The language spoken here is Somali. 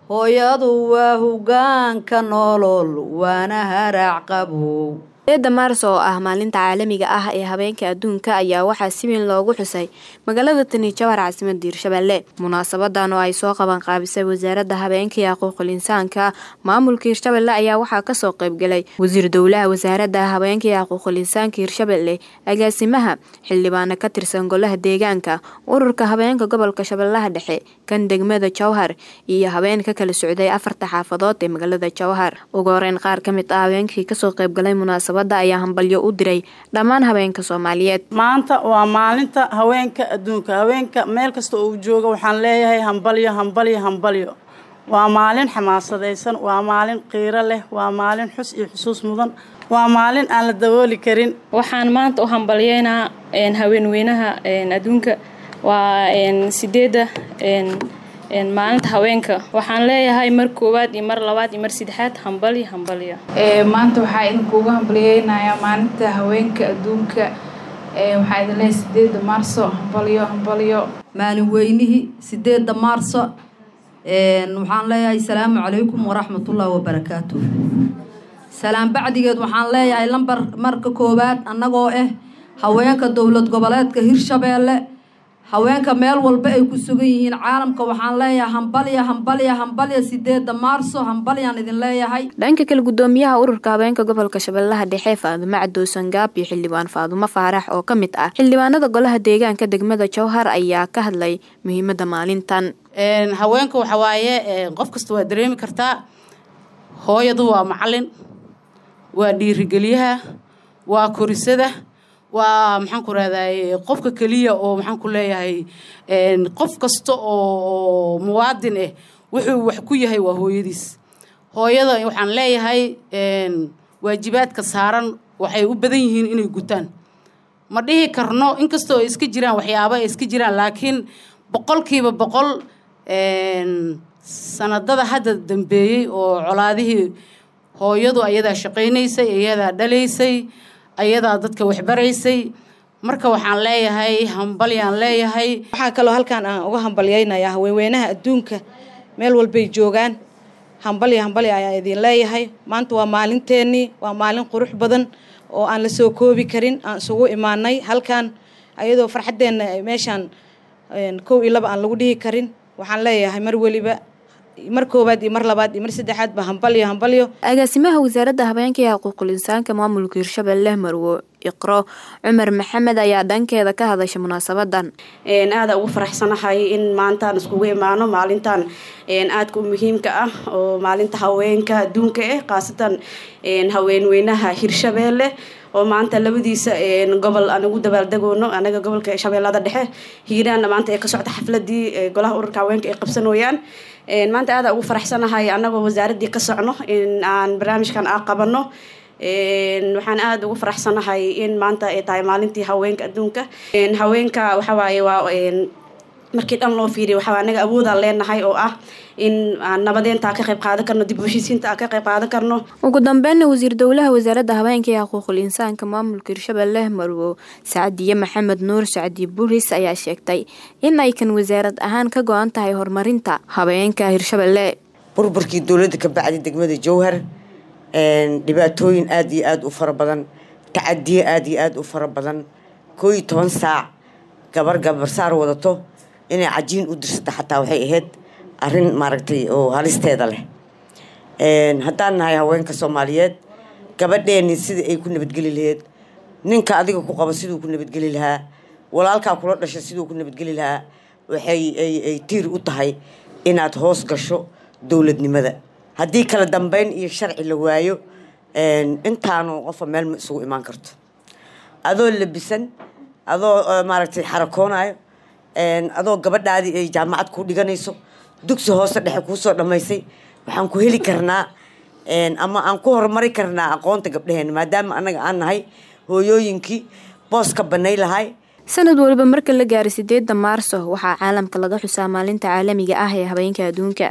Hooyadu waa hogaanka nolol, waana haraac qabow. 8 Maarso oo ah maalinta caalamiga ah ee habeenka adduunka ayaa waxaa si weyn loogu xusay magaalada Tani Jowhar, caasimadda Hirshabelle. Munaasabadan oo ay soo qaban qaabisay Wasaaradda Habeenka iyo Xuquuqul Insaanka maamulka Hirshabelle ayaa waxaa kasoo qayb galay Wasiir Dowlaha Wasaaradda Habeenka iyo Xuquuqul Insaanka Hirshabelle, agaasimaha, xildhibaano ka tirsan golaha deegaanka, ururka habeenka gobolka Shabeellaha Dhexe, kan degmada Jowhar iyo habeen ka kala socday afarta xaafadood ee magaalada Jowhar. Ugu horeyn, qaar ka mid ah habeenkii kasoo qayb galay munaasabada ayaa hambalyo u diray dhammaan habeenka Soomaaliyeed. Maanta waa maalinta haweenka adduunka. Haweenka meel kasta uu jooga waxaan leeyahay hambalyo, hambalyo, hambalyo. Waa maalin xamaasadaysan, waa maalin qiiro leh, waa maalin xus iyo xusuus mudan, waa maalin aan la dabooli karin. Waxaan maanta u hambalyeynaa haweenweynaha adduunka. Waa 8-da maalinta haweenka. Waxaan leeyahay mar koowaad iyo mar labaad iyo mar saddexaad hambalyo, hambalyo. Maanta waxaa idinkuugu hambalyeynayaa maalinta haweenka adduunka. Waxaa idin leeyahay 8 Maarso hambalyo, hambalyo. Maalin weynihii 8 Maarso waxaan leeyahay salaamu calaykum waraxmatullaahi wabarakaatu. Salaam bacdigeed, waxaan leeyahay lambar marka koowaad, annagoo ah haweenka dowlad goboleedka Hirshabeelle, haweenka meel walba ay ku sugan yihiin caalamka, waxaan leeyahay hambalya, hambalya, hambalya. 8 Maarso hambalyaan idin leeyahay. Dhanka kale, gudoomiyaha ururka haweenka gobolka Shabeellaha Dhexe Faadumo Cadowsan Gaab iyo xildhibaan Faadumo Faarax oo ka mid ah xildhibaanada golaha deegaanka degmada Jowhar ayaa ka hadlay muhiimada maalintan. Haweenka waxa waaye qof kasta waa dareemi kartaa. Hooyadu waa macalin, waa dhiirigeliyaha, waa korisada, waa maxaan ku rahdaye qofka keliya oo maxaan ku leeyahay qof kasta oo muwaadin ah wuxuu wax ku yahay waa hooyadiis. Hooyada waxaan leeyahay waajibaadka saaran waxay u badan yihiin inay gutaan. Ma dhihi karno inkastoo ay iska jiraan waxyaabo ay iska jiraan, laakiin 100% sanadada hadda dambeeyey oo colaadihii, hooyadu ayadaa shaqaynaysay, ayadaa dhalaysay, ayadaa dadka waxbaraysay. Marka waxaan leeyahay hambalyaan leeyahay. Waxaa kaloo halkaan aan uga hambalyeynayaa haweenweynaha adduunka meel walbay joogaan. Hambalya, hambalya ayaan idin leeyahay. Maanta waa maalinteennii, waa maalin qurux badan oo aan la soo koobi karin aan isugu imaanay halkaan, ayadoo farxaddeenna meeshaan kow iyo laba aan lagu dhihi karin. Waxaan leeyahay mar weliba, mar koowaad iyo mar labaad iyo mar saddexaad ba hambalyo, hambalyo. Agaasimaha Wasaaradda Habeenka iyo Xuquuqul Insaanka maamulka Hirshabelle Marwo Iqro Cumar Maxamed ayaa dhankeeda ka hadashay munaasabadan. Aada ugu faraxsanahay in maantaan iskugu imaano maalintan aadka u muhiimka ah oo maalinta haweenka adduunka ah, khaasatan haweenweynaha Hirshabeelle oo maanta labadiisa gobol aan ugu dabaaldegoono. Anaga gobolka Shabeellada Dhexe, Hiiraanna maanta ay ka socda xafladii golaha ururka haweenka ay qabsanooyaan. Maanta aada ugu faraxsanahay anagoo wasaaraddii ka socno in aan barnaamijkan aa qabano. Waxaan aada ugu faraxsanahay in maanta ay tahay maalintii haweenka adduunka. Haweenka waxawaaye waa markii dhan loo fiiriyo waxaa anaga awoodaan leenahay oo ah in aan nabadeynta ka qayb qaadan karno, dib u heshiisiinta aan ka qayb qaadan karno. Ugu dambeynna, wasiir dowlaha Wasaaradda Habeenka iyo Xuquuqul Insaanka maamulka Hirshabelle Marwo Sacdiye Maxamed Nuur Sacdiye Buris ayaa sheegtay in ay kan wasaarad ahaan ka go-an tahay horumarinta habeenka Hirshabelle. Burburkii dowladda ka bacdi, degmada Jowhar dhibaatooyin aada iyo aada u fara badan, tacadiye aada iyo aada u fara badan. 11 saac gabar gabarsaar wadato inay cajiin u dirsato xataa waxay ahayd arrin maaragtay oo halisteeda leh. Haddaan nahay haweenka Soomaaliyeed, gabadheeni sidai ay ku nabadgeli lahayd, ninka adiga ku qabo siduu ku nabadgeli lahaa, walaalkaa kula dhasha siduu ku nabadgeli lahaa, waxay ay tiir u tahay inaad hoos gasho dowladnimada. Haddii kala dambeyn iyo sharci la waayo, intaanu qofa meel ma isugu imaan karto. Adoo labisan, adoo maaragtay xarakoonayo, adoo gabadhaadii ay jaamacad ku dhiganayso, dugsi hoose dhexe kuusoo dhammaysay, waxaan ku heli karnaa ama aan ku horumari karnaa aqoonta gabdhaheena, maadaama annaga aan nahay hooyooyinkii booska banay lahay. Sanad waliba marka la gaaro 8 Maarso waxaa caalamka laga xusaa maalinta caalamiga ah ee habeenka adduunka.